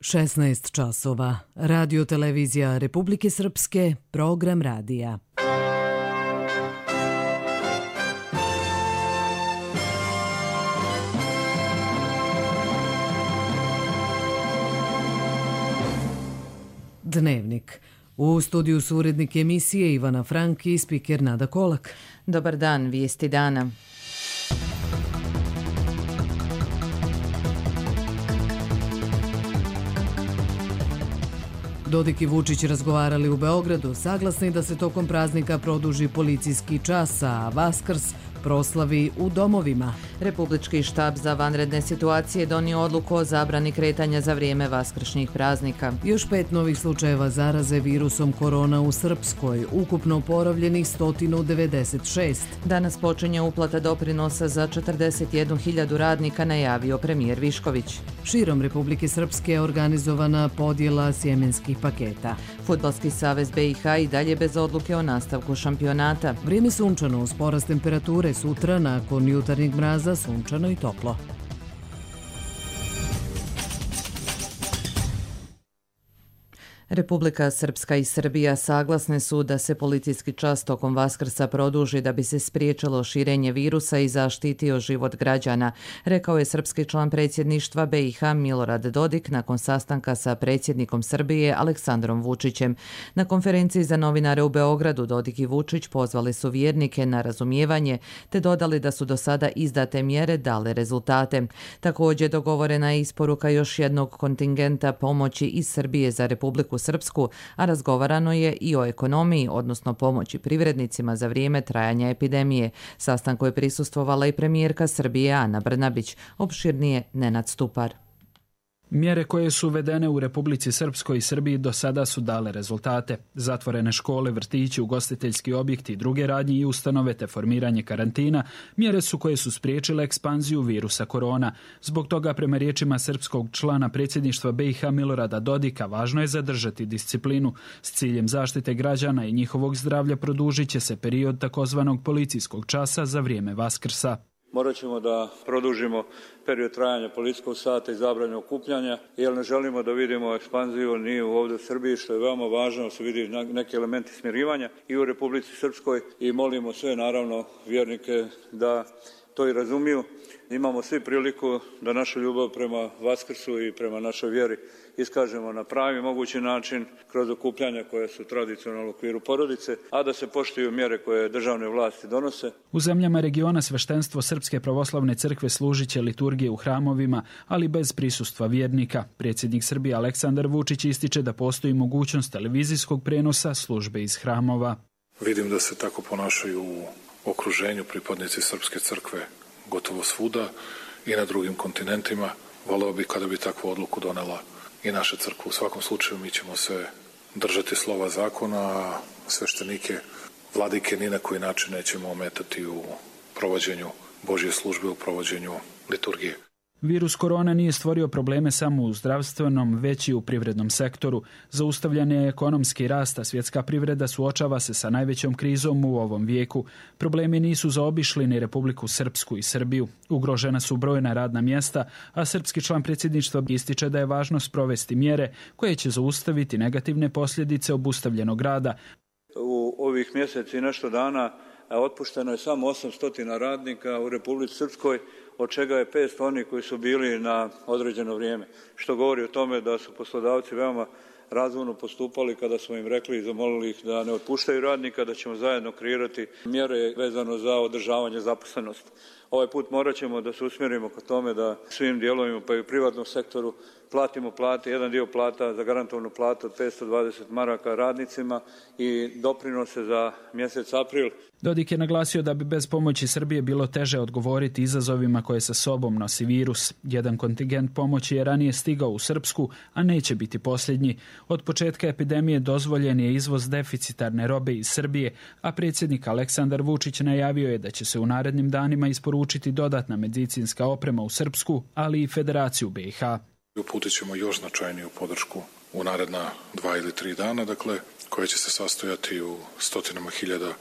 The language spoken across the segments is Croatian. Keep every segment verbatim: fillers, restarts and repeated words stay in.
šesnaest časova. Radio televizija Republike Srpske, program radija. Dnevnik. U studiju su urednik emisije Ivana Frank i spiker Nada Kolak. Dobar dan, vijesti dana. Dodik i Vučić razgovarali u Beogradu, saglasni da se tokom praznika produži policijski čas, a Vaskrs proslavi u domovima. Republički štab za vanredne situacije donio odluku o zabrani kretanja za vrijeme vaskršnjih praznika. Još pet novih slučajeva zaraze virusom korona u Srpskoj, ukupno oporavljenih sto devedeset šest. Danas počinje uplata doprinosa za četrdeset jednu hiljadu radnika, najavio premijer Višković. Širom Republike Srpske je organizovana podjela sjemenskih paketa. Fudbalski savez B i H i dalje bez odluke o nastavku šampionata. Vrijeme sunčano uz porast temperature, sutra nakon jutarnjeg mraza sunčano i toplo. Republika Srpska i Srbija saglasne su da se policijski čas tokom Vaskrsa produži da bi se spriječilo širenje virusa i zaštitio život građana, rekao je srpski član predsjedništva B i H Milorad Dodik nakon sastanka sa predsjednikom Srbije Aleksandrom Vučićem. Na konferenciji za novinare u Beogradu Dodik i Vučić pozvali su vjernike na razumijevanje te dodali da su do sada izdate mjere dale rezultate. Također dogovorena je isporuka još jednog kontingenta pomoći iz Srbije za Republiku Srpsku, a razgovarano je i o ekonomiji, odnosno pomoći privrednicima za vrijeme trajanja epidemije. Sastanku je prisustvovala i premijerka Srbije Ana Brnabić, opširnije Nenad Stupar. Mjere koje su uvedene u Republici Srpskoj i Srbiji do sada su dale rezultate. Zatvorene škole, vrtići, ugostiteljski objekti i druge radnje i ustanove te formiranje karantina, mjere su koje su spriječile ekspanziju virusa korona. Zbog toga, prema riječima srpskog člana predsjedništva B i H Milorada Dodika, važno je zadržati disciplinu. S ciljem zaštite građana i njihovog zdravlja produžit će se period takozvanog policijskog časa za vrijeme Vaskrsa. Morat ćemo da produžimo period trajanja policijskog sata i zabrane okupljanja, jer ne želimo da vidimo ekspanziju ni ovdje u Srbiji, što je veoma važno, da se vidi neki elementi smirivanja i u Republici Srpskoj i molimo sve, naravno, vjernike da to i razumiju. Imamo svi priliku da našu ljubav prema Vaskrsu i prema našoj vjeri iskažemo na pravi mogući način kroz okupljanja koja su tradicionalno u okviru porodice, a da se poštuju mjere koje državne vlasti donose. U zemljama regiona sveštenstvo Srpske pravoslavne crkve služit će liturgije u hramovima, ali bez prisustva vjernika. Predsjednik Srbije Aleksandar Vučić ističe da postoji mogućnost televizijskog prenosa službe iz hramova. Vidim da se tako ponašaju u okruženju pripadnici Srpske crkve gotovo svuda i na drugim kontinentima. Voleo bi kada bi takvu odluku donela i naša crkva. U svakom slučaju mi ćemo se držati slova zakona, a sveštenike, vladike ni na koji način nećemo ometati u provođenju Božje službe, u provođenju liturgije. Virus korona nije stvorio probleme samo u zdravstvenom, već i u privrednom sektoru. Zaustavljen je ekonomski rast, a svjetska privreda suočava se sa najvećom krizom u ovom vijeku. Problemi nisu zaobišli ni Republiku Srpsku i Srbiju. Ugrožena su brojna radna mjesta, a srpski član predsjedništva ističe da je važno sprovesti mjere koje će zaustaviti negativne posljedice obustavljenog rada. U ovih mjeseci i nešto dana otpušteno je samo osamsto radnika u Republici Srpskoj, od čega je petsto oni koji su bili na određeno vrijeme, što govori o tome da su poslodavci veoma razumno postupali kada smo im rekli i zamolili ih da ne otpuštaju radnika, da ćemo zajedno kreirati mjere vezano za održavanje zaposlenosti. Ovaj put morat ćemo da se usmjerimo ka tome da svim dijelovima, pa i u privatnom sektoru, platimo plate, jedan dio plata za garantovanu platu od petsto dvadeset maraka radnicima i doprinose za mjesec april. Dodik je naglasio da bi bez pomoći Srbije bilo teže odgovoriti izazovima koje sa sobom nosi virus. Jedan kontingent pomoći je ranije stigao u Srpsku, a neće biti posljednji. Od početka epidemije dozvoljen je izvoz deficitarne robe iz Srbije, a predsjednik Aleksandar Vučić najavio je da će se u narednim danima isporučiti dodatna medicinska oprema u Srpsku, ali i Federaciju B i H. Uputit ćemo još značajniju podršku u naredna dva ili tri dana, dakle, koja će se sastojati u stotinama hiljada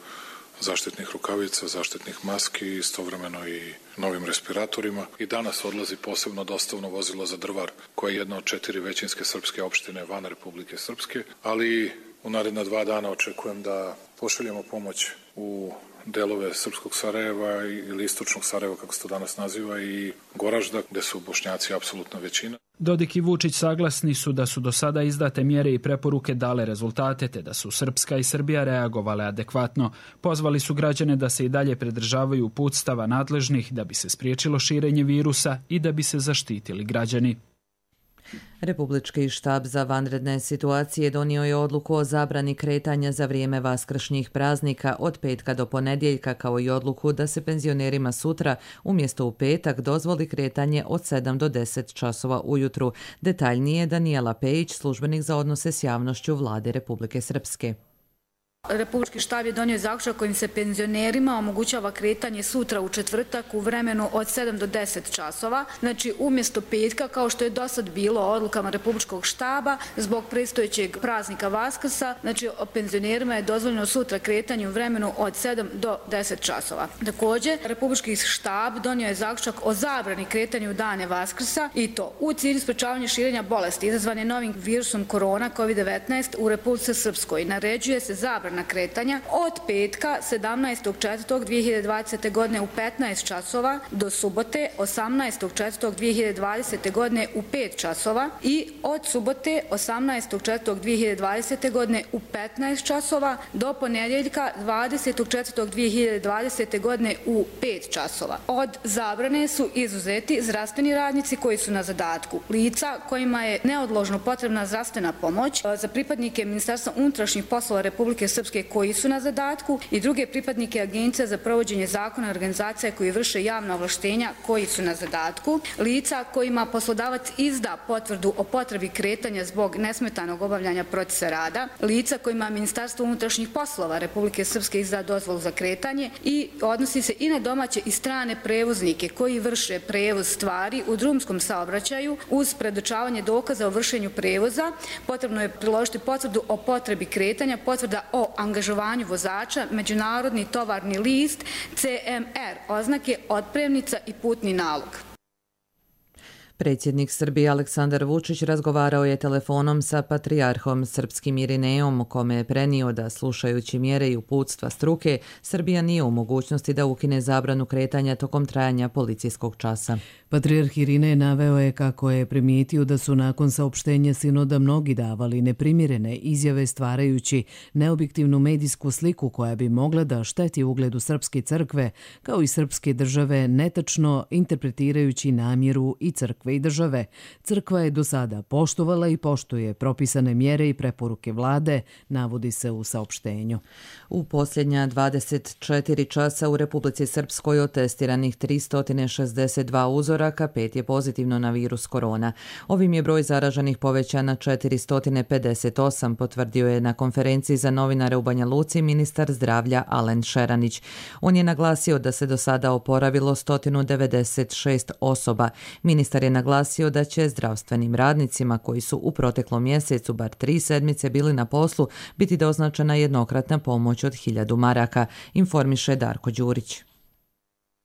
zaštitnih rukavica, zaštitnih maski i istovremeno i novim respiratorima. I danas odlazi posebno dostavno vozilo za Drvar, koja je jedna od četiri većinske srpske opštine van Republike Srpske, ali u naredna dva dana očekujem da pošaljemo pomoć u delove srpskog Sarajeva ili istočnog Sarajeva, kako se to danas naziva, i Goražda, gde su Bošnjaci apsolutna većina. Dodik i Vučić saglasni su da su do sada izdate mjere i preporuke dale rezultate, te da su Srpska i Srbija reagovale adekvatno. Pozvali su građane da se i dalje pridržavaju uputstava nadležnih da bi se spriječilo širenje virusa i da bi se zaštitili građani. Republički štab za vanredne situacije donio je odluku o zabrani kretanja za vrijeme vaskršnjih praznika od petka do ponedjeljka, kao i odluku da se penzionerima sutra umjesto u petak dozvoli kretanje od sedam do deset časova ujutru. Detaljnije Danijela Pejić, službenik za odnose s javnošću Vlade Republike Srpske. Republički štab je donio zaključak kojim se penzionerima omogućava kretanje sutra u četvrtak u vremenu od sedam do deset časova, znači umjesto petka, kao što je do sad bilo odlukama Republičkog štaba zbog predstojećeg praznika Vaskrsa, znači penzionerima je dozvoljeno sutra kretanje u vremenu od sedam do deset časova. Također, Republički štab donio je zaključak o zabrani kretanja u dane Vaskrsa i to u cilju sprečavanja širenja bolesti izazvane novim virusom korona kovid devetnaest u Republici Srpskoj. Naređuje se zabrana na kretanja od petka sedamnaestog četvrtog dvije hiljade dvadesete. godine u petnaest časova do subote osamnaestog četvrtog dvije hiljade dvadesete. godine u pet časova i od subote osamnaestog četvrtog dvije hiljade dvadesete. godine u petnaest časova do ponedjeljka dvadesetog četvrtog dvije hiljade dvadesete. godine u pet časova. Od zabrane su izuzeti zdravstveni radnici koji su na zadatku, lica kojima je neodložno potrebna zdravstvena pomoć, za pripadnike Ministarstva unutrašnjih poslova Republike Srpske koji su na zadatku i druge pripadnike Agencija za provođenje zakona i organizacija koji vrše javna ovlaštenja koji su na zadatku, lica kojima poslodavac izda potvrdu o potrebi kretanja zbog nesmetanog obavljanja procesa rada, lica kojima Ministarstvo unutrašnjih poslova Republike Srpske izda dozvolu za kretanje i odnosi se i na domaće i strane prevoznike koji vrše prevoz stvari u drumskom saobraćaju uz predočavanje dokaza o vršenju prevoza. Potrebno je priložiti potvrdu o potrebi kretanja, potvrda o angažovanju vozača, međunarodni tovarni list, C M R, oznake otpremnica i putni nalog. Predsjednik Srbije Aleksandar Vučić razgovarao je telefonom sa patrijarhom srpskim Irineom, kome je prenio da, slušajući mjere i uputstva struke, Srbija nije u mogućnosti da ukine zabranu kretanja tokom trajanja policijskog časa. Patrijarh Irinej naveo je kako je primijetio da su nakon saopštenja sinoda mnogi davali neprimjerene izjave stvarajući neobjektivnu medijsku sliku koja bi mogla da šteti ugledu srpske crkve kao i srpske države, netačno interpretirajući namjeru i crkve i države. Crkva je do sada poštovala i poštuje propisane mjere i preporuke vlade, navodi se u saopštenju. U posljednja dvadeset četiri časa u Republici Srpskoj od testiranih tristo šezdeset dva uzoraka, pet je pozitivno na virus korona. Ovim je broj zaraženih povećan na četiristo pedeset osam, potvrdio je na konferenciji za novinare u Banja Luci ministar zdravlja Alen Šeranić. On je naglasio da se do sada oporavilo sto devedeset šest osoba. Ministar je naglasio da će zdravstvenim radnicima koji su u proteklom mjesecu bar tri sedmice bili na poslu biti doznačena jednokratna pomoć od hiljadu maraka, informiše Darko Đurić.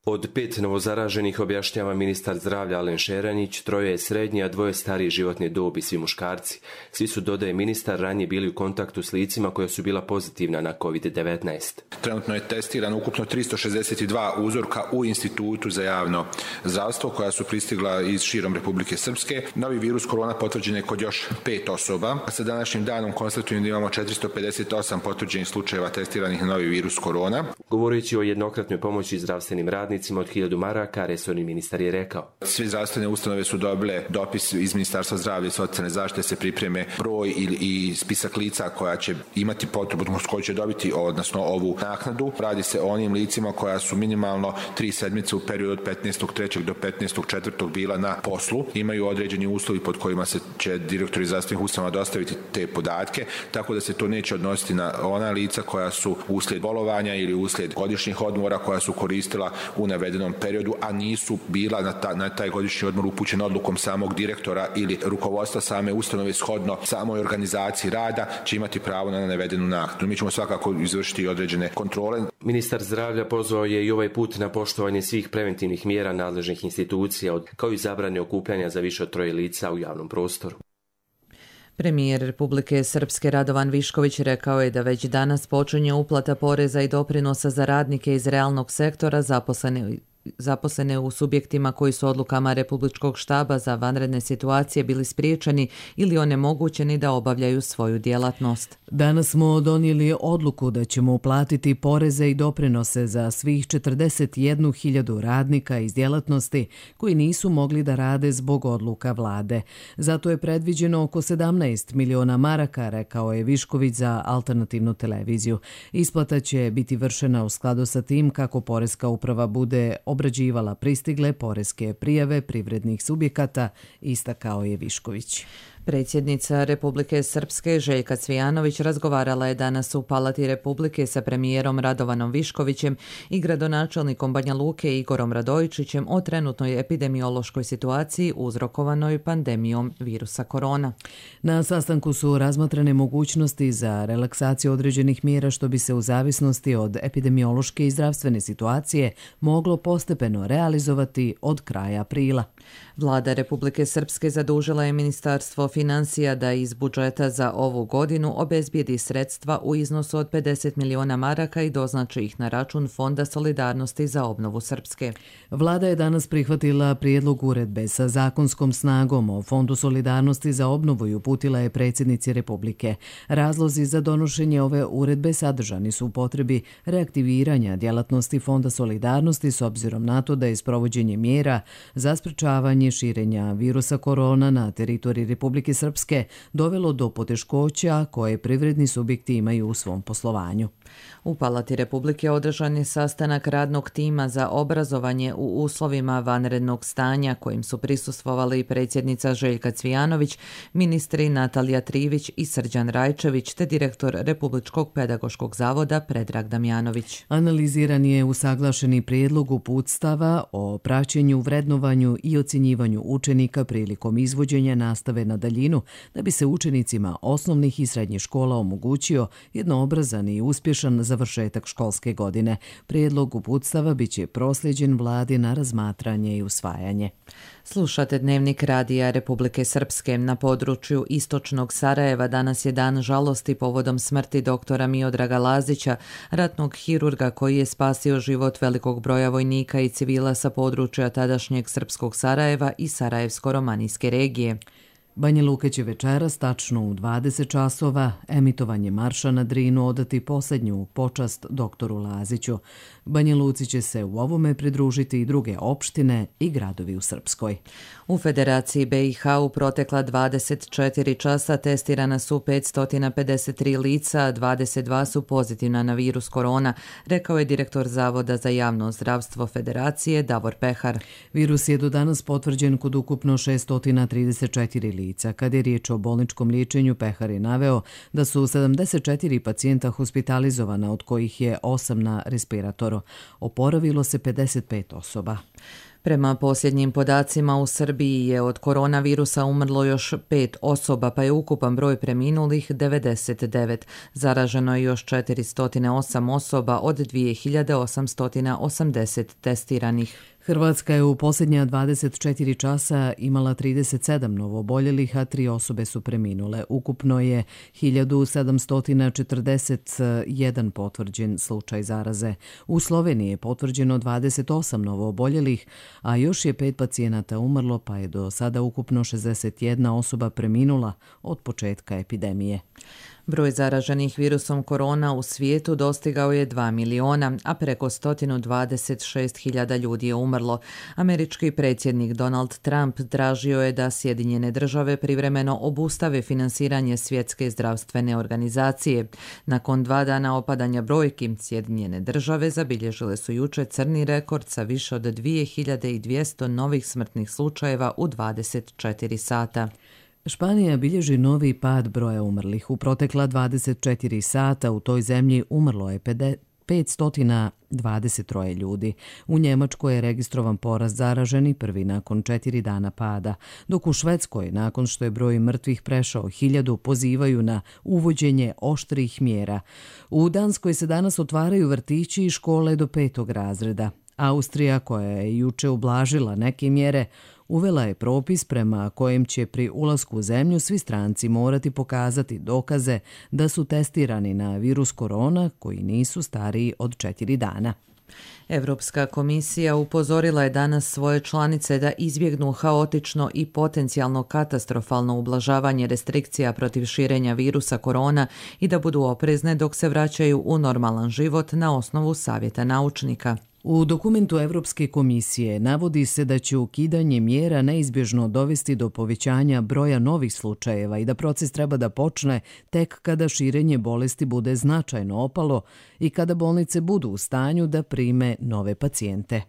Od pet novozaraženih, objašnjava ministar zdravlja Alen Šeranić, troje je srednji, a dvoje stariji životne dobi, svi muškarci. Svi su, dodaje ministar, ranije bili u kontaktu s licima koja su bila pozitivna na kovid devetnaest. Trenutno je testirano ukupno tristo šezdeset dva uzorka u Institutu za javno zdravstvo koja su pristigla iz širom Republike Srpske. Novi virus korona potvrđen je kod još pet osoba. Sa današnjim danom konstatujem da imamo četiristo pedeset osam potvrđenih slučajeva testiranih na novi virus korona. Govoreći o jednokratnoj pomoći zdravstvenim radnicima od hiljadu maraka, resorni ministar je rekao: Sve zdravstvene ustanove su dobile dopis iz Ministarstva zdravlja i socijalne zaštite, se pripreme broj i, i spisak lica koja će imati potrebu, koji će dobiti odnosno ovu naknadu. Radi se o onim licima koja su minimalno tri sedmice u periodu od petnaestog trećeg do petnaestog četvrtog bila na poslu. Imaju određeni uslovi pod kojima se će direktori zdravstvenih ustanova dostaviti te podatke, tako da se to neće odnositi na ona lica koja su uslijed bolovanja ili uslijed godišnjih odmora koja su koristila u u navedenom periodu, a nisu bila na, ta, na taj godišnji odmor upućena odlukom samog direktora ili rukovodstva same ustanove shodno samoj organizaciji rada, će imati pravo na navedenu naknadu. Mi ćemo svakako izvršiti određene kontrole. Ministar zdravlja pozvao je i ovaj put na poštovanje svih preventivnih mjera nadležnih institucija, kao i zabrane okupljanja za više od troje lica u javnom prostoru. Premijer Republike Srpske Radovan Višković rekao je da već danas počinje uplata poreza i doprinosa za radnike iz realnog sektora zaposlene zaposlene u subjektima koji su odlukama Republičkog štaba za vanredne situacije bili spriječeni ili onemogućeni da obavljaju svoju djelatnost. Danas smo donijeli odluku da ćemo uplatiti poreze i doprinose za svih četrdeset jednu hiljadu radnika iz djelatnosti koji nisu mogli da rade zbog odluka vlade. Zato je predviđeno oko sedamnaest miliona maraka, rekao je Višković za alternativnu televiziju. Isplata će biti vršena u skladu sa tim kako Poreska uprava bude obrađivala pristigle poreske prijave privrednih subjekata, istakao je Višković. Predsjednica Republike Srpske Željka Cvijanović razgovarala je danas u Palati Republike sa premijerom Radovanom Viškovićem i gradonačelnikom Banja Luke Igorom Radojičićem o trenutnoj epidemiološkoj situaciji uzrokovanoj pandemijom virusa korona. Na sastanku su razmatrane mogućnosti za relaksaciju određenih mjera što bi se u zavisnosti od epidemiološke i zdravstvene situacije moglo postepeno realizovati od kraja aprila. Vlada Republike Srpske zadužila je Ministarstvo financija da iz budžeta za ovu godinu obezbijedi sredstva u iznosu od pedeset miliona maraka i doznači ih na račun Fonda solidarnosti za obnovu Srpske. Vlada je danas prihvatila prijedlog uredbe sa zakonskom snagom o Fondu solidarnosti za obnovu i uputila je predsjednici Republike. Razlozi za donošenje ove uredbe sadržani su u potrebi reaktiviranja djelatnosti Fonda solidarnosti s obzirom na to da je sprovođenje mjera za sprečavanje širenja virusa korona na teritoriji Republike Srpske dovelo do poteškoća koje privredni subjekti imaju u svom poslovanju. U Palati Republike održan je sastanak radnog tima za obrazovanje u uslovima vanrednog stanja kojim su prisustvovali predsjednica Željka Cvijanović, ministri Natalija Trivić i Srđan Rajčević te direktor Republičkog pedagoškog zavoda Predrag Damjanović. Analiziran je usaglašeni prijedlog uputstava o praćenju, vrednovanju i ocjenjivanju učenika prilikom izvođenja nastave na daljinu da bi se učenicima osnovnih i srednjih škola omogućio jednoobrazan i uspješan završetak školske godine. Prijedlog uputstava biće prosljeđen vladi na razmatranje i usvajanje. Slušate Dnevnik radija Republike Srpske. Na području istočnog Sarajeva danas je dan žalosti povodom smrti doktora Miodraga Lazića, ratnog hirurga koji je spasio život velikog broja vojnika i civila sa područja tadašnjeg srpskog Sarajeva i Sarajevsko-romanijske regije. Banja Luka će večeras tačno u dvadeset časova emitovanje marša na Drinu odati posljednju počast doktoru Laziću. Banja Luci će se u ovome pridružiti i druge opštine i gradovi u Srpskoj. U Federaciji B i H u protekla dvadeset četiri časa testirana su petsto pedeset tri lica, dvadeset dva su pozitivna na virus korona, rekao je direktor Zavoda za javno zdravstvo Federacije Davor Pehar. Virus je do danas potvrđen kod ukupno šesto trideset četiri lica. Kad je riječ o bolničkom liječenju, Pehar je naveo da su sedamdeset četiri pacijenta hospitalizovana, od kojih je osam na respiratoru. Oporavilo se pedeset pet osoba. Prema posljednjim podacima u Srbiji je od koronavirusa umrlo još pet osoba, pa je ukupan broj preminulih devedeset devet. Zaraženo je još četiristo osam osoba od dvije hiljade osamsto osamdeset testiranih. Hrvatska je u posljednja dvadeset četiri časa imala trideset sedam novooboljelih, a tri osobe su preminule. Ukupno je hiljadu sedamsto četrdeset jedan potvrđen slučaj zaraze. U Sloveniji je potvrđeno dvadeset osam novooboljelih, a još je pet pacijenata umrlo, pa je do sada ukupno šezdeset jedna osoba preminula od početka epidemije. Broj zaraženih virusom korona u svijetu dostigao je dva miliona, a preko sto dvadeset šest hiljada ljudi je umrlo. Američki predsjednik Donald Trump tražio je da Sjedinjene države privremeno obustave finansiranje Svjetske zdravstvene organizacije. Nakon dva dana opadanja brojki, Sjedinjene države zabilježile su jučer crni rekord sa više od dvije hiljade dvjesto novih smrtnih slučajeva u dvadeset četiri sata. Španija bilježi novi pad broja umrlih. U protekla dvadeset četiri sata u toj zemlji umrlo je petsto dvadeset tri ljudi. U Njemačkoj je registrovan porast zaraženih prvi nakon četiri dana pada, dok u Švedskoj, nakon što je broj mrtvih prešao hiljadu, pozivaju na uvođenje oštrih mjera. U Danskoj se danas otvaraju vrtići i škole do petog razreda. Austrija, koja je juče ublažila neke mjere, uvela je propis prema kojem će pri ulasku u zemlju svi stranci morati pokazati dokaze da su testirani na virus korona koji nisu stariji od četiri dana. Evropska komisija upozorila je danas svoje članice da izbjegnu haotično i potencijalno katastrofalno ublažavanje restrikcija protiv širenja virusa korona i da budu oprezne dok se vraćaju u normalan život na osnovu savjeta naučnika. U dokumentu Evropske komisije navodi se da će ukidanje mjera neizbježno dovesti do povećanja broja novih slučajeva i da proces treba da počne tek kada širenje bolesti bude značajno opalo i kada bolnice budu u stanju da prime nove pacijente.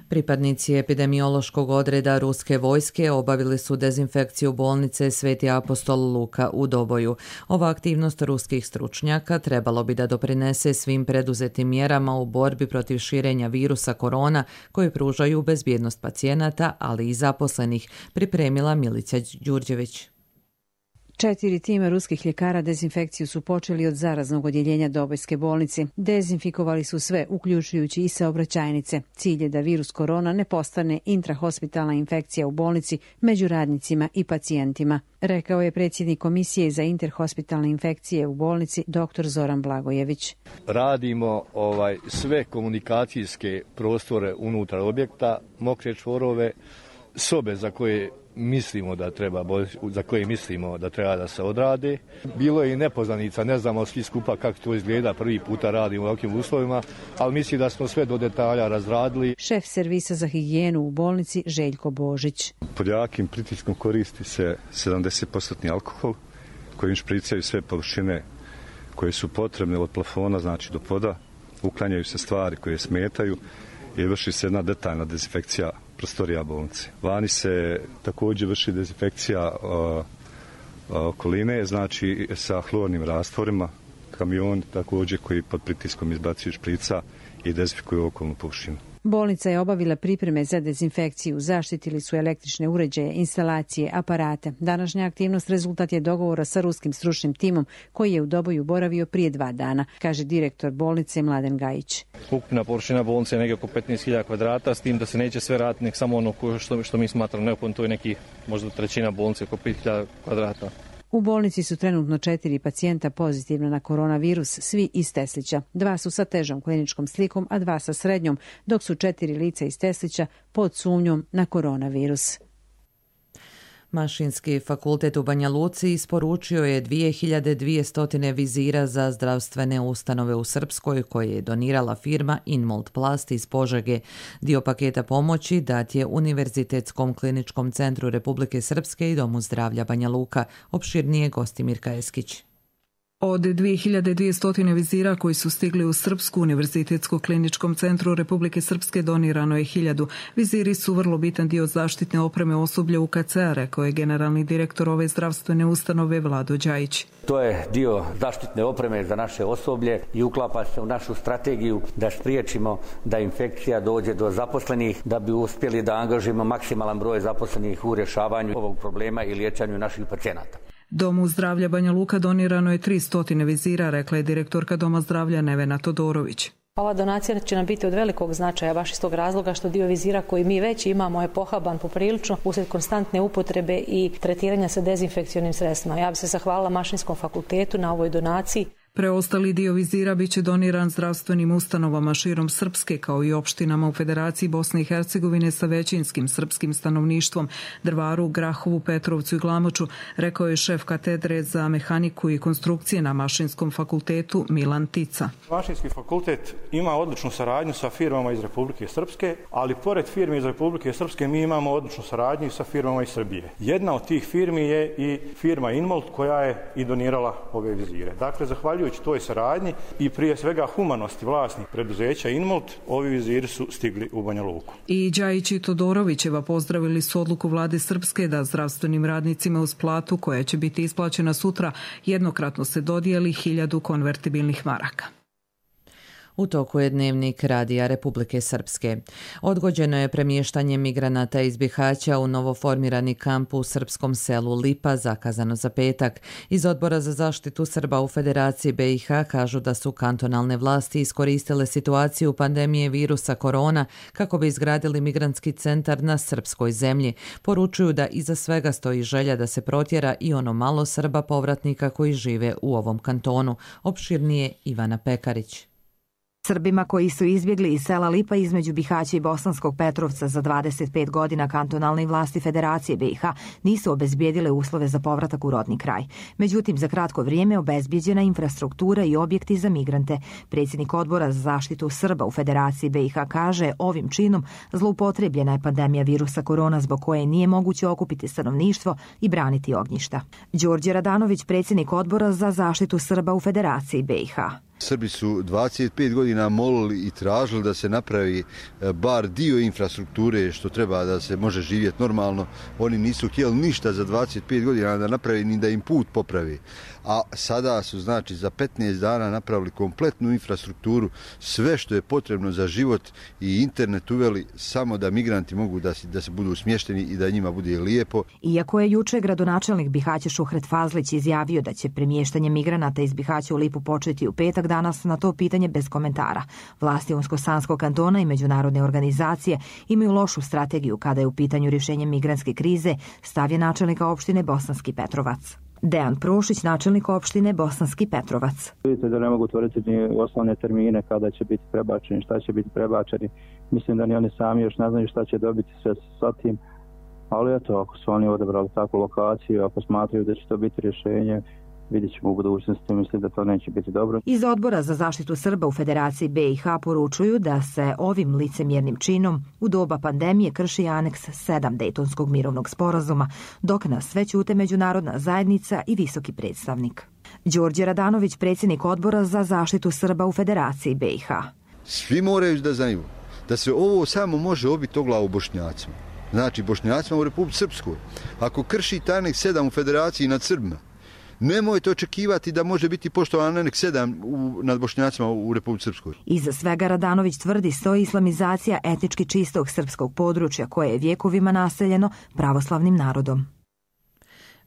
Pripadnici epidemiološkog odreda ruske vojske obavili su dezinfekciju bolnice Sveti apostol Luka u Doboju. Ova aktivnost ruskih stručnjaka trebalo bi da doprinese svim preduzetim mjerama u borbi protiv širenja virusa korona koji pružaju bezbjednost pacijenata, ali i zaposlenih, pripremila Milica Đurđević. Četiri tima ruskih ljekara dezinfekciju su počeli od zaraznog odjeljenja Dobojske bolnice. Dezinfikovali su sve, uključujući i saobraćajnice. Cilj je da virus korona ne postane intrahospitalna infekcija u bolnici među radnicima i pacijentima, rekao je predsjednik Komisije za interhospitalne infekcije u bolnici dr. Zoran Blagojević. Radimo ovaj sve komunikacijske prostore unutar objekta, mokre čvorove, sobe za koje mislimo da treba, za koje mislimo da treba da se odrade. Bilo je i nepoznanica, ne znamo svi skupa kako to izgleda, prvi puta radimo u ovakvim uslovima, ali mislim da smo sve do detalja razradili. Šef servisa za higijenu u bolnici Željko Božić. Pod jakim pritiskom koristi se sedamdeset posto alkohol kojim špricaju sve površine koje su potrebne od plafona, znači do poda, uklanjaju se stvari koje smetaju i vrši se jedna detaljna dezinfekcija prostorija bolnice. Vani se također vrši dezinfekcija uh, okoline, znači sa hlornim rastvorima, kamion također koji pod pritiskom izbacuju šprica i dezinfikuju okolnu površinu. Bolnica je obavila pripreme za dezinfekciju, zaštitili su električne uređaje, instalacije, aparate. Današnja aktivnost rezultat je dogovora sa ruskim stručnim timom koji je u Doboju boravio prije dva dana, kaže direktor bolnice Mladen Gajić. Ukupna površina bolnice je negdje oko petnaest hiljada kvadrata, s tim da se neće sve raditi, nek samo ono što, što mi smatramo neophodno, to je neki možda trećina bolnice, oko pet hiljada kvadrata. U bolnici su trenutno četiri pacijenta pozitivna na koronavirus, svi iz Teslića. Dva su sa težom kliničkom slikom, a dva sa srednjom, dok su četiri lica iz Teslića pod sumnjom na koronavirus. Mašinski fakultet u Banja Luci isporučio je dvije hiljade dvjesto vizira za zdravstvene ustanove u Srpskoj koje je donirala firma Inmold Plast iz Požege. Dio paketa pomoći dat je Univerzitetskom kliničkom centru Republike Srpske i Domu zdravlja Banja Luka. Opširnije gosti Mirka Eskić. Od dvije hiljade dvjesto vizira koji su stigli u Srpsku Univerzitetskom kliničkom centru Republike Srpske donirano je hiljadu. Viziri su vrlo bitan dio zaštitne opreme osoblja U K C-a, rekao je generalni direktor ove zdravstvene ustanove Vlado Đajić. To je dio zaštitne opreme za naše osoblje i uklapa se u našu strategiju da spriječimo da infekcija dođe do zaposlenih, da bi uspjeli da angažimo maksimalan broj zaposlenih u rješavanju ovog problema i liječenju naših pacijenata. Domu zdravlja Banja Luka donirano je tristo vizira, rekla je direktorka Doma zdravlja Nevena Todorović. Ova donacija će nam biti od velikog značaja baš iz tog razloga što dio vizira koji mi već imamo je pohaban poprilično uslijed konstantne upotrebe i tretiranja sa dezinfekcionim sredstvima. Ja bih se zahvalila Mašinskom fakultetu na ovoj donaciji. Preostali dio vizira bit će doniran zdravstvenim ustanovama širom Srpske kao i opštinama u Federaciji Bosne i Hercegovine sa većinskim srpskim stanovništvom, Drvaru, Grahovu, Petrovcu i Glamoču, rekao je šef katedre za mehaniku i konstrukcije na Mašinskom fakultetu Milan Tica. Mašinski fakultet ima odličnu saradnju sa firmama iz Republike Srpske, ali pored firmi iz Republike Srpske mi imamo odličnu saradnju i sa firmama iz Srbije. Jedna od tih firmi je i firma Inmold koja je i donirala ove vizire. Dakle, zahvaljujući zahvaljujući toj saradnji i prije svega humanosti vlasnih preduzeća Inmolt, ovi viziri su stigli u Banja Luku. I Đajić i Todorovićeva pozdravili su odluku vlade Srpske da zdravstvenim radnicima uz platu koja će biti isplaćena sutra jednokratno se dodijeli hiljadu konvertibilnih maraka. U toku je dnevnik Radija Republike Srpske. Odgođeno je premještanje migranata iz Bihaća u novoformirani kamp u srpskom selu Lipa, zakazano za petak. Iz Odbora za zaštitu Srba u Federaciji B i H kažu da su kantonalne vlasti iskoristile situaciju pandemije virusa korona kako bi izgradili migrantski centar na srpskoj zemlji. Poručuju da iza svega stoji želja da se protjera i ono malo Srba povratnika koji žive u ovom kantonu. Opširnije Ivana Pekarić. Srbima koji su izbjegli iz sela Lipa između Bihaća i Bosanskog Petrovca za dvadeset pet godina kantonalne vlasti Federacije B i H nisu obezbijedile uslove za povratak u rodni kraj. Međutim, za kratko vrijeme obezbijeđena infrastruktura i objekti za migrante. Predsjednik Odbora za zaštitu Srba u Federaciji B i H kaže ovim činom zloupotrebljena je pandemija virusa korona zbog koje nije moguće okupiti stanovništvo i braniti ognjišta. Đorđe Radanović, predsjednik Odbora za zaštitu Srba u Federaciji B i H. Srbi su dvadeset pet godina molili i tražili da se napravi bar dio infrastrukture što treba da se može živjeti normalno. Oni nisu htjeli ništa za dvadeset pet godina da napravi ni da im put popravi. A sada su znači za petnaest dana napravili kompletnu infrastrukturu, sve što je potrebno za život i internet uveli samo da migranti mogu da, da se budu smješteni i da njima bude lijepo. Iako je juče gradonačelnik Bihaća Šuhret Fazlić izjavio da će premještanje migranata iz Bihaća u Lipu početi u petak, danas na to pitanje bez komentara. Vlasti Unsko-Sanskog kantona i međunarodne organizacije imaju lošu strategiju kada je u pitanju rješenje migrantske krize, stav je načelnika opštine Bosanski Petrovac. Dejan Prošić, načelnik opštine Bosanski Petrovac. Vidite da ne mogu tvoriti ni osnovne termine kada će biti prebačeni, šta će biti prebačeni. Mislim da ni oni sami još ne znaju šta će dobiti sve sa tim. Ali eto, ako su oni odabrali takvu lokaciju, ako smatraju da će to biti rješenje, vidjet ćemo u budućnosti, mislim da to neće biti dobro. Iz Odbora za zaštitu Srba u Federaciji B i H poručuju da se ovim licemjernim činom u doba pandemije krši aneks sedam Dejtonskog mirovnog sporazuma, dok nas sve ćute međunarodna zajednica i visoki predstavnik. Đorđe Radanović, predsjednik Odbora za zaštitu Srba u Federaciji B i H. Svi moraju da znaju da se ovo samo može obiti o glavu Bošnjacima. Znači Bošnjacima u Republici Srpskoj. Ako kršite aneks sedam u Federaciji nad Srbima, nemojte očekivati da može biti poštovan aneks sedam u, nad Bošnjacima u Republici Srpskoj. Iza svega Radanović tvrdi stoji islamizacija etnički čistog srpskog područja koje je vjekovima naseljeno pravoslavnim narodom.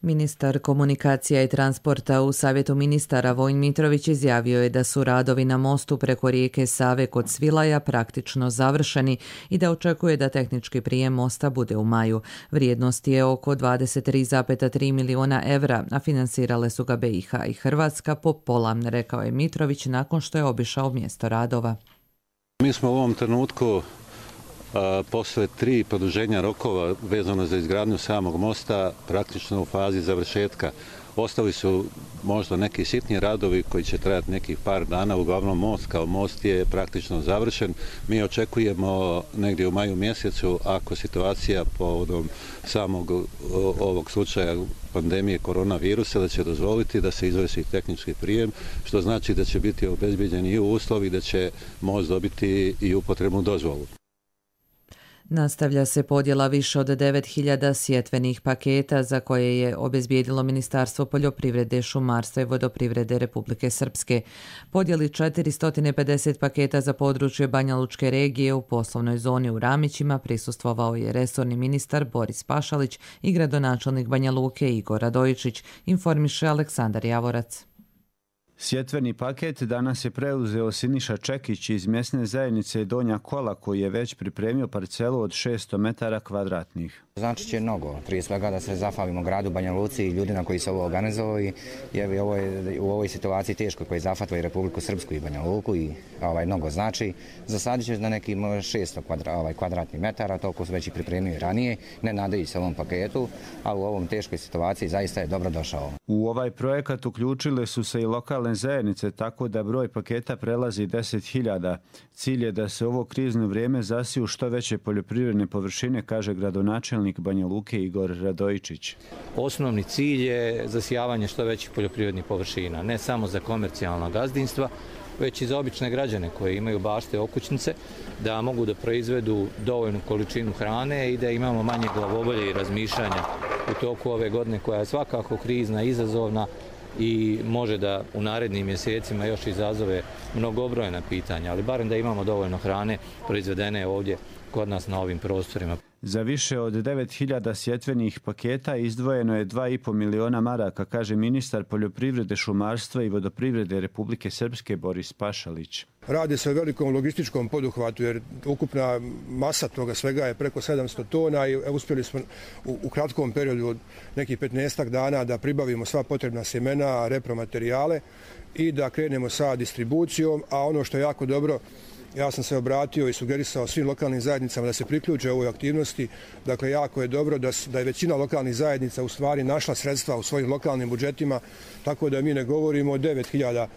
Ministar komunikacija i transporta u Savjetu ministara Vojin Mitrović izjavio je da su radovi na mostu preko rijeke Save kod Svilaja praktično završeni i da očekuje da tehnički prijem mosta bude u maju. Vrijednost je oko dvadeset tri zarez tri miliona evra, a finansirale su ga B i H i Hrvatska po pola, rekao je Mitrović nakon što je obišao mjesto radova. Mi smo u ovom trenutku posle tri produženja rokova vezano za izgradnju samog mosta praktično u fazi završetka. Ostali su možda neki sitni radovi koji će trajati nekih par dana, uglavnom most kao most je praktično završen. Mi očekujemo negdje u maju mjesecu, ako situacija povodom samog ovog slučaja pandemije koronavirusa, da će dozvoliti da se izvrši tehnički prijem, što znači da će biti obezbijeđeni i uslovi da će most dobiti i upotrebnu dozvolu. Nastavlja se podjela više od devet hiljada sjetvenih paketa za koje je obezbijedilo Ministarstvo poljoprivrede, šumarstva i vodoprivrede Republike Srpske. Podjeli četiristo pedeset paketa za područje Banja Lučke regije u poslovnoj zoni u Ramićima prisustvovao je resorni ministar Boris Pašalić i gradonačelnik Banja Luke Igor Radojičić, informiše Aleksandar Javorac. Sjetveni paket danas je preuzeo Siniša Čekić iz mjesne zajednice Donja Kola koji je već pripremio parcelu od šesto metara kvadratnih. Znači će mnogo, prije svega da se zahvalimo gradu Banja Luci i ljudima koji su ovo organizovali, jer ovo je u ovoj situaciji teško koji zahvatva i Republiku Srpsku i Banja Luku i ovaj, mnogo znači. Zasadit će na neki šesto kvadra, ovaj, kvadratnih metara, toliko su već i pripremili ranije, ne nadajući se ovom paketu, a u ovom teškoj situaciji zaista je dobro došao. U ovaj projekat uključile su se i lokalne lokalne zajednice, tako da broj paketa prelazi deset hiljada. Cilj je da se ovo krizno vrijeme zasiju što veće poljoprivredne površine, kaže gradonačelnik Banja Luke Igor Radojičić. Osnovni cilj je zasijavanje što većih poljoprivrednih površina, ne samo za komercijalna gazdinstva, već i za obične građane koji imaju bašte okućnice, da mogu da proizvedu dovoljnu količinu hrane i da imamo manje glavobolje i razmišljanja u toku ove godine koja je svakako krizna, izazovna i može da u narednim mjesecima još izazove mnogobrojna pitanja, ali barem da imamo dovoljno hrane proizvedene ovdje kod nas na ovim prostorima. Za više od devet hiljada sjetvenih paketa izdvojeno je dva i po miliona maraka, kaže ministar poljoprivrede, šumarstva i vodoprivrede Republike Srpske Boris Pašalić. Radi se o velikom logističkom poduhvatu jer ukupna masa toga svega je preko sedamsto tona i uspjeli smo u, u kratkom periodu od nekih petnaestak dana da pribavimo sva potrebna sjemena, repromaterijale i da krenemo sa distribucijom, a ono što je jako dobro, ja sam se obratio i sugerisao svim lokalnim zajednicama da se priključe ovoj aktivnosti. Dakle, jako je dobro da, da je većina lokalnih zajednica u stvari našla sredstva u svojim lokalnim budžetima, tako da mi ne govorimo o devet hiljada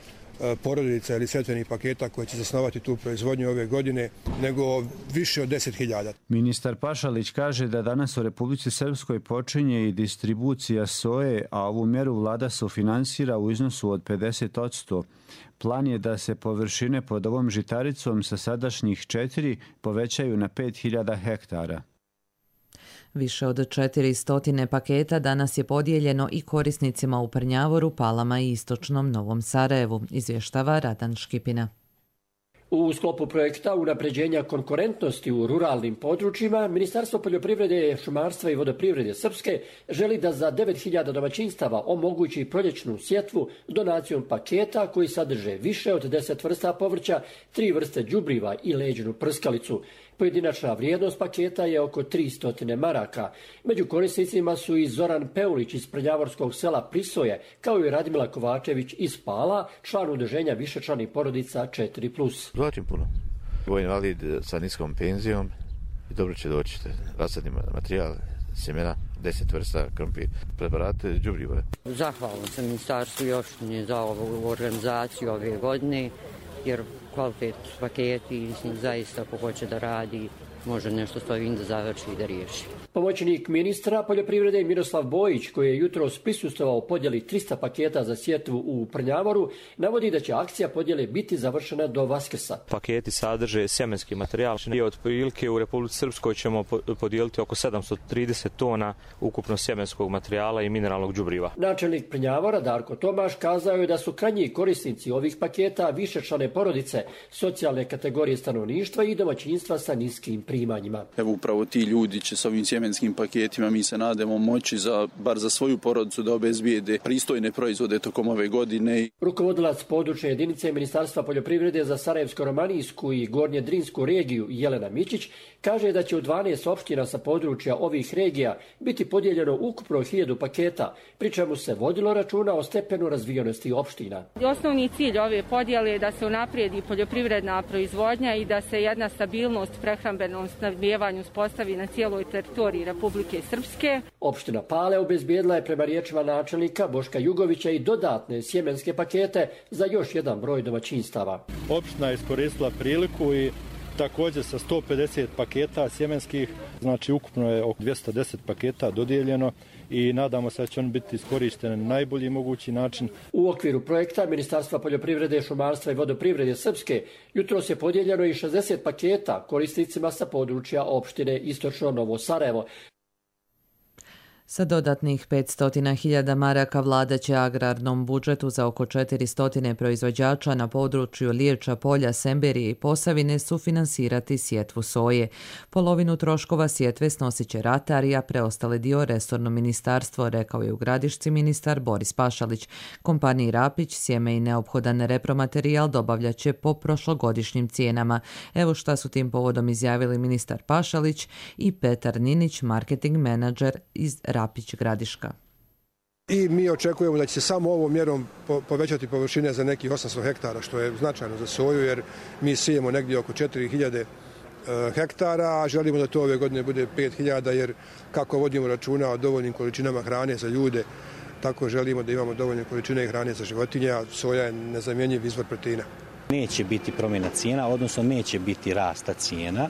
porodica ili setvenih paketa koje će zasnovati tu proizvodnju ove godine, nego više od deset hiljada. Ministar Pašalić kaže da danas u Republici Srpskoj počinje i distribucija soje, a ovu mjeru vlada sufinansira u iznosu od pedeset posto. Plan je da se površine pod ovom žitaricom sa sadašnjih četiri povećaju na pet hiljada hektara. Više od četiristo paketa danas je podijeljeno i korisnicima u Prnjavoru, Palama i istočnom Novom Sarajevu, izvještava Radan Škipina. U sklopu projekta unapređenja konkurentnosti u ruralnim područjima, Ministarstvo poljoprivrede, šumarstva i vodoprivrede Srpske želi da za devet hiljada domaćinstava omogući proljećnu sjetvu donacijom paketa koji sadrže više od deset vrsta povrća, tri vrste đubriva i leđnu prskalicu. Pojedinačna vrijednost paketa je oko tristo maraka. Među korisnicima su i Zoran Peulić iz Prnjavorskog sela Prisoje, kao i Radmila Kovačević iz Pala, član udruženja višečlanih porodica četiri plus. Zlačim puno. Vojni invalid sa niskom penzijom i dobro će doći rasadni materijal, sjemena, deset vrsta krompir, preparate, đubriva. Zahvalan sam ministarstvu i opštini za ovu organizaciju ove godine, jer kvalitet paketi, mislim, zaista ko hoće da radi, može nešto s ovim da završi i da riješi. Pomoćnik ministra poljoprivrede Miroslav Bojić, koji je jutros prisustvovao podjeli trista paketa za sjetvu u Prnjavoru, navodi da će akcija podjele biti završena do Vaskrsa. Paketi sadrže sjemenski materijal i otprilike u Republici Srpskoj ćemo podijeliti oko sedamsto trideset tona ukupno sjemenskog materijala i mineralnog đubriva. Načelnik Prnjavora Darko Tomaš kazao je da su krajnji korisnici ovih paketa višečlane porodice, socijalne kategorije stanovništva i domaćinstva sa niskim primanjima. Evo upravo ti ljudi će s ovim sjemenskim paketima, mi se nadamo, moći za, bar za svoju porodicu da obezbijede pristojne proizvode tokom ove godine. Rukovodilac područne jedinice Ministarstva poljoprivrede za Sarajevsko-Romanijsku i Gornje Drinsku regiju Jelena Mićić kaže da će u dvanaest opština sa područja ovih regija biti podijeljeno ukupno hiljadu paketa, pri čemu se vodilo računa o stepenu razvijenosti opština. Osnovni cilj ove podjele je da se unaprijedi poljoprivredna proizvodnja i da se jedna stabilnost prehrambenom snabdijevanju uspostavi na cijeloj teritoriji Republike Srpske. Opština Pale obezbijedila je prema riječima načelnika Boška Jugovića i dodatne sjemenske pakete za još jedan broj domaćinstava. Opština je iskoristila priliku i također sa sto pedeset paketa sjemenskih, znači ukupno je oko dvjesto deset paketa dodijeljeno i nadamo se da će on biti iskorišten na najbolji mogući način. U okviru projekta Ministarstva poljoprivrede, šumarstva i vodoprivrede Srpske jutros je podijeljeno i šezdeset paketa korisnicima sa područja opštine Istočno Novo Sarajevo. Sa dodatnih petsto hiljada maraka vlada će agrarnom budžetu za oko četiristo proizvođača na području Liječa, Polja, Semberije i Posavine sufinansirati sjetvu soje. Polovinu troškova sjetve snosit će ratarija, preostali dio resorno ministarstvo, rekao je u Gradišci ministar Boris Pašalić. Kompaniji Rapić sjeme i neophodan repromaterijal dobavljat će po prošlogodišnjim cijenama. Evo šta su tim povodom izjavili ministar Pašalić i Petar Ninić, marketing menadžer iz Rapić Gradiška. I mi očekujemo da će se samo ovom mjerom povećati površine za nekih osamsto hektara, što je značajno za soju, jer mi sijemo negdje oko četiri hiljade hektara, a želimo da to ove godine bude pet hiljada, jer kako vodimo računa o dovoljnim količinama hrane za ljude tako želimo da imamo dovoljne količine hrane za životinje, a soja je nezamjenjiv izvor proteina. Neće biti promjena cijena, odnosno neće biti rasta cijena.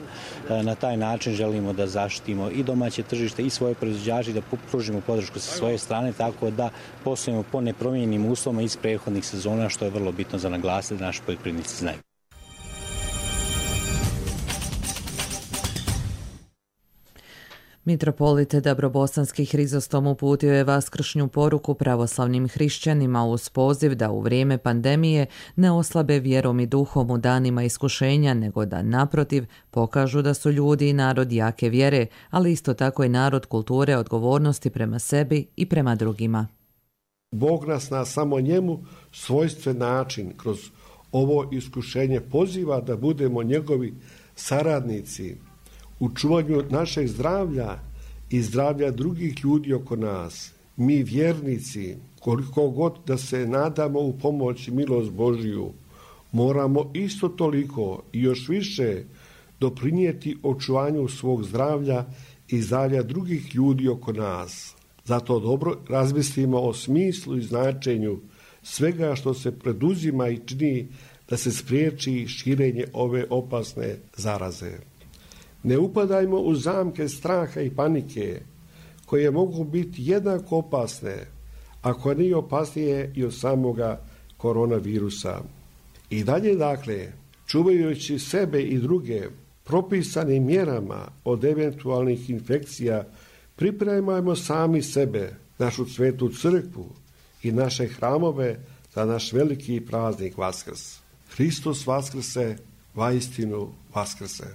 Na taj način želimo da zaštitimo i domaće tržište i svoje proizvođače, da pružimo podršku sa svoje strane, tako da poslujemo po nepromijenjenim uslovima iz prethodnih sezona, što je vrlo bitno za naglasiti da naši poljoprivrednici znaju. Mitropolit Dabrobosanski Hrizostom uputio je vaskršnju poruku pravoslavnim hrišćanima uz poziv da u vrijeme pandemije ne oslabe vjerom i duhom u danima iskušenja, nego da naprotiv pokažu da su ljudi i narod jake vjere, ali isto tako i narod kulture odgovornosti prema sebi i prema drugima. Bog nas na samo njemu svojstven način kroz ovo iskušenje poziva da budemo njegovi saradnici u čuvanju našeg zdravlja i zdravlja drugih ljudi oko nas. Mi vjernici, koliko god da se nadamo u pomoć i milost Božiju, moramo isto toliko i još više doprinijeti očuvanju svog zdravlja i zdravlja drugih ljudi oko nas. Zato dobro razmislimo o smislu i značenju svega što se preduzima i čini da se spriječi širenje ove opasne zaraze. Ne upadajmo u zamke straha i panike, koje mogu biti jednako opasne, ako nije opasnije i od samoga koronavirusa. I dalje, dakle, čuvajući sebe i druge propisanim mjerama od eventualnih infekcija, pripremajmo sami sebe, našu svetu crkvu i naše hramove za naš veliki praznik Vaskrs. Hristos vaskrse, vaistinu vaskrse.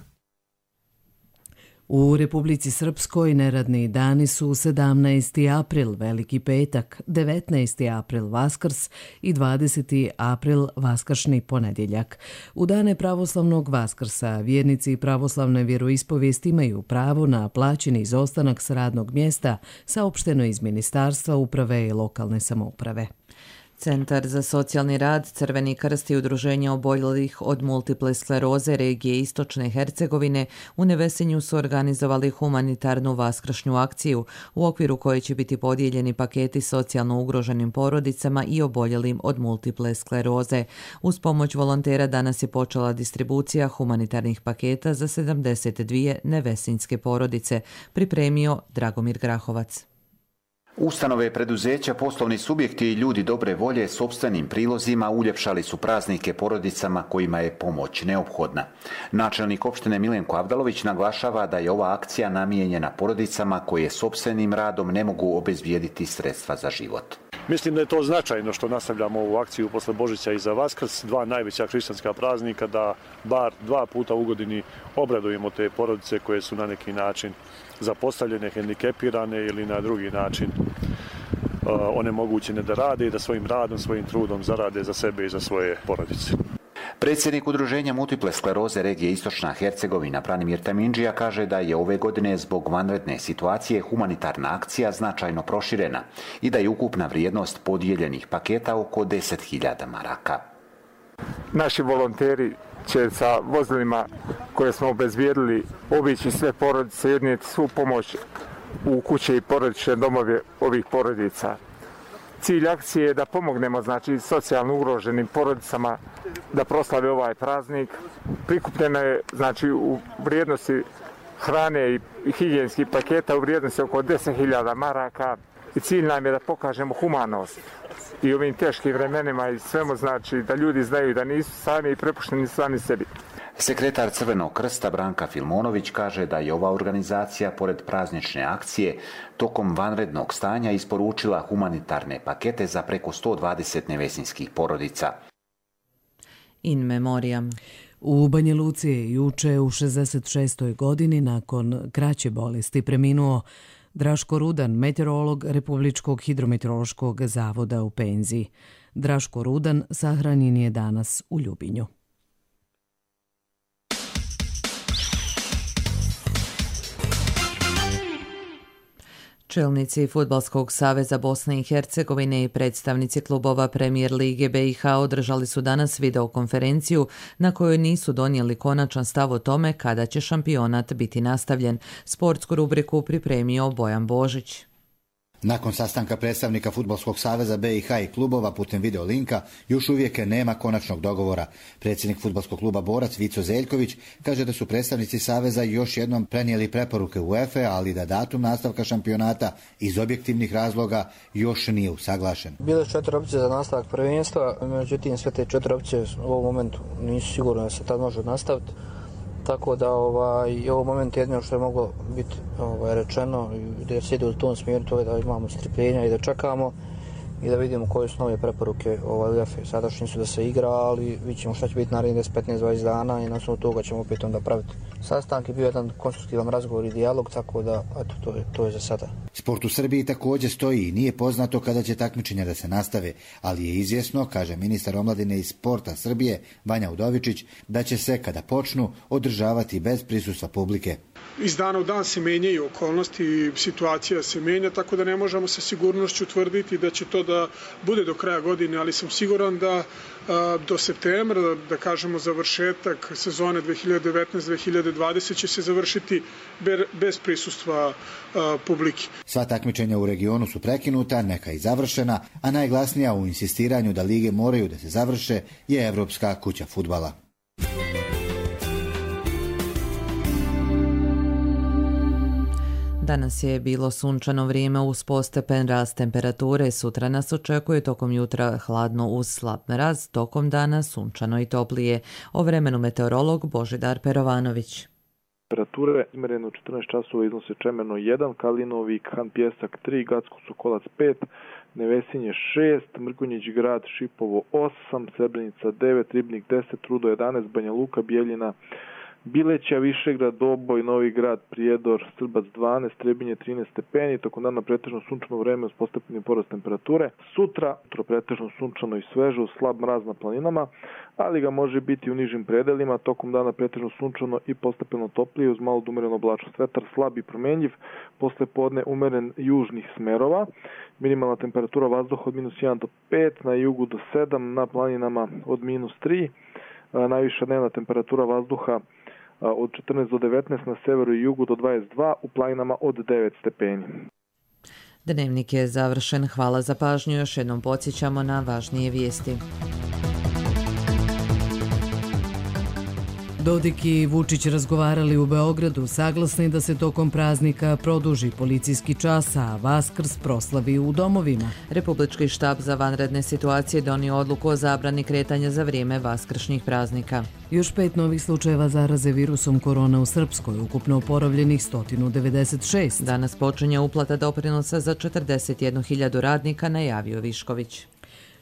U Republici Srpskoj neradni dani su sedamnaesti april, Veliki petak, devetnaesti april, Vaskrs i dvadeseti april, Vaskršnji ponedjeljak. U dane pravoslavnog Vaskrsa vjernici pravoslavne vjeroispovijesti imaju pravo na plaćeni izostanak s radnog mjesta, saopšteno iz Ministarstva uprave i lokalne samouprave. Centar za socijalni rad, Crveni krst i udruženje oboljelih od multiple skleroze regije Istočne Hercegovine u Nevesinju su organizovali humanitarnu vaskršnju akciju u okviru koje će biti podijeljeni paketi socijalno ugroženim porodicama i oboljelim od multiple skleroze. Uz pomoć volontera danas je počela distribucija humanitarnih paketa za sedamdeset dvije nevesinjske porodice, pripremio Dragomir Grahovac. Ustanove, preduzeća, poslovni subjekti i ljudi dobre volje sopstvenim prilozima uljepšali su praznike porodicama kojima je pomoć neophodna. Načelnik opštine Milenko Avdalović naglašava da je ova akcija namijenjena porodicama koje sopstvenim radom ne mogu obezbijediti sredstva za život. Mislim da je to značajno što nastavljamo ovu akciju posle Božića i za Vaskrs, dva najveća hrišćanska praznika, da bar dva puta u godini obradujemo te porodice koje su na neki način zapostavljene, hendikepirane ili na drugi način uh, onemogućene da rade i da svojim radom, svojim trudom zarade za sebe i za svoje porodice. Predsjednik udruženja multiple skleroze regije Istočna Hercegovina Branimir Tamindžija kaže da je ove godine zbog vanredne situacije humanitarna akcija značajno proširena i da je ukupna vrijednost podijeljenih paketa oko deset hiljada maraka. Naši volonteri će sa vozilima koje smo obezbijedili obići sve porodice, jednijeti svu pomoć u kuće i porodične domove ovih porodica. Cilj akcije je da pomognemo, znači, socijalno ugroženim porodicama da proslave ovaj praznik. Prikupljeno je, znači, u vrijednosti hrane i higijenskih paketa u vrijednosti oko deset hiljada maraka i cilj nam je da pokažemo humanost i ovim teškim vremenima i svemu, znači, da ljudi znaju da nisu sami i prepušteni sami sebi. Sekretar Crvenog krsta Branka Filmonović kaže da je ova organizacija, pored praznične akcije, tokom vanrednog stanja isporučila humanitarne pakete za preko sto dvadeset nevesinjskih porodica. In memoriam. U Banja Luci je juče u šezdeset šestoj godini nakon kraće bolesti preminuo Draško Rudan, meteorolog Republičkog hidrometeorološkog zavoda u penziji. Draško Rudan sahranjen je danas u Ljubinju. Čelnici Fudbalskog saveza Bosne i Hercegovine i predstavnici klubova Premijer Lige B i H održali su danas videokonferenciju na kojoj nisu donijeli konačan stav o tome kada će šampionat biti nastavljen. Sportsku rubriku pripremio Bojan Božić. Nakon sastanka predstavnika Fudbalskog saveza B i H i klubova putem video linka, još uvijek nema konačnog dogovora. Predsjednik Fudbalskog kluba Borac Vico Zeljković kaže da su predstavnici saveza još jednom prenijeli preporuke UEFA, ali da datum nastavka šampionata iz objektivnih razloga još nije usaglašen. Bile četiri opcije za nastavak prvenstva, međutim sve te četiri opcije u ovom momentu nisu sigurno da se tad može nastaviti. Tako da ovaj, u ovom momentu jedino što je moglo biti ovaj, rečeno i da se ide u tom smjeru, to je da imamo strpljenja i da čekamo i da vidimo koje su nove preporuke ovaj, UEFA. Sadašnji su da se igra, ali vidjet ćemo šta će biti narednih deset, petnaest, dvadeset dana i na osnovu toga ćemo opet onda praviti sastanak. Je bio jedan konstruktivan razgovor i dijalog, tako da eto, to, je, to je za sada. Sport u Srbiji također stoji i nije poznato kada će takmičenja da se nastave, ali je izvjesno, kaže ministar omladine i sporta Srbije Vanja Udovičić, da će se kada počnu održavati bez prisustva publike. Iz dana u dan se menjaju okolnosti i situacija se menja, tako da ne možemo sa sigurnošću tvrditi da će to da bude do kraja godine, ali sam siguran da a, do septembra, da, da kažemo završetak sezone dve hiljade devetnaeste dve hiljade dvadesete će se završiti ber, bez prisustva a, publike. Sva takmičenja u regionu su prekinuta, neka i završena, a najglasnija u insistiranju da lige moraju da se završe je Evropska kuća fudbala. Danas je bilo sunčano vrijeme uz postepen rast temperature. Sutra nas očekuje tokom jutra hladno uz slab mraz, tokom dana sunčano i toplije. O vremenu meteorolog Božidar Perovanović. Temperature izmjerene u četrnaest časova iznose Čemerno jedan, Kalinovik, Han Pjesak tri, Gacko Sokolac pet, Nevesinje šest, Mrkonjić Grad, Šipovo osam, Srebrenica devet, Ribnik deset, Rudo jedanaest, Banja Luka, Bijeljina, Bileća, Višegrad, Doboj, Novi Grad, Prijedor, Srbac dvanaest, Trebinje trinaest stepeni, tokom dana pretežno sunčano vreme uz postepeni porast temperature. Sutra pretežno sunčano i sveže uz slab mraz na planinama, ali ga može biti u nižim predelima, tokom dana pretežno sunčano i postepeno toplije uz malo umerenu oblačnost. Vetar slab i promenljiv, posle podne umeren južnih smerova. Minimalna temperatura vazduha od minus jedan do pet, na jugu do sedam, na planinama od minus tri. Najviša dnevna temperatura vazduha od četrnaest do devetnaest, na severu i jugu do dvadeset dva, u planinama od devet stepeni. Dnevnik je završen. Hvala za pažnju. Još jednom podsjećamo na važnije vijesti. Dodik i Vučić razgovarali u Beogradu, saglasni da se tokom praznika produži policijski čas, a Vaskrs proslavi u domovima. Republički štab za vanredne situacije donio odluku o zabrani kretanja za vrijeme vaskršnjih praznika. Još pet novih slučajeva zaraze virusom korona u Srpskoj, ukupno oporavljenih sto devedeset šest. Danas počinje uplata doprinosa za četrdeset jednu hiljadu radnika, najavio Višković.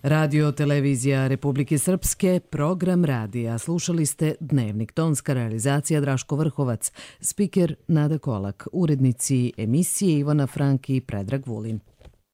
Radio Televizija Republike Srpske, program radija. Slušali ste Dnevnik, tonska realizacija Draško Vrhovac, spiker Nada Kolak, urednici emisije Ivana Franki i Predrag Vulin.